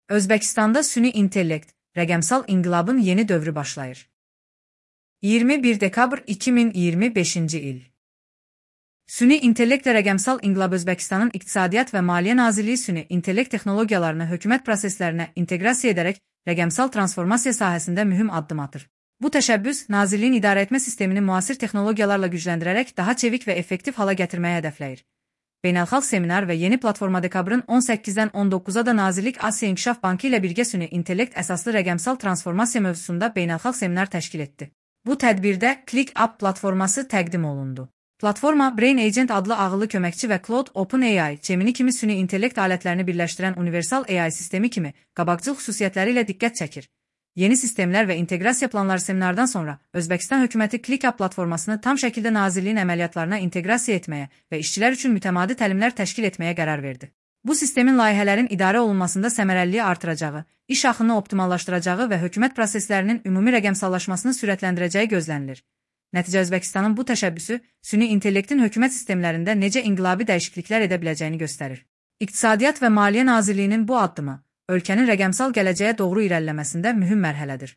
Özbəkistanda süni intellekt, rəqəmsal inqilabın yeni dövrü başlayır. 21 dekabr 2025-ci il. Süni intellekt və rəqəmsal inqilab Özbəkistanın İqtisadiyyat və Maliyyə Nazirliyi süni intellekt texnologiyalarını hökumət proseslərinə inteqrasiya edərək rəqəmsal transformasiya sahəsində mühüm addım atır. Bu təşəbbüs, Nazirliyin idarəetmə sistemini müasir texnologiyalarla gücləndirərək daha çevik və effektiv hala gətirməyə hədəfləyir. Beynəlxalq seminar və yeni platforma dekabrın 18-dən 19-a da Nazirlik Asiya İnkişaf Bankı ilə birgə süni intellekt əsaslı rəqəmsal transformasiya mövzusunda beynəlxalq seminar təşkil etdi. Bu tədbirdə ClickUp platforması təqdim olundu. Platforma, Brain Agent adlı ağıllı köməkçi və Claude OpenAI, Gemini kimi süni intellekt alətlərini birləşdirən universal AI sistemi kimi qabaqcıl xüsusiyyətləri ilə diqqət çəkir. Yeni sistemlər və inteqrasiya planları seminardan sonra Özbəkistan hökuməti ClickUp platformasını tam şəkildə Nazirliyin əməliyyatlarına inteqrasiya etməyə və işçilər üçün mütəmadi təlimlər təşkil etməyə qərar verdi. Bu sistemin layihələrin idarə olunmasında səmərəliliyi artıracağı, iş axını optimallaşdıracağı və hökumət proseslərinin ümumi rəqəmsallaşmasını sürətləndirəcəyi gözlənilir. Nəticə Özbəkistanın bu təşəbbüsü süni intellektin hökumət sistemlərində necə inqilabi dəyişikliklər edə biləcəyini göstərir. İqtisadiyyat və Maliyyə Nazirliyinin bu addımı ölkənin rəqəmsal gələcəyə doğru irəliləməsində mühüm mərhələdir.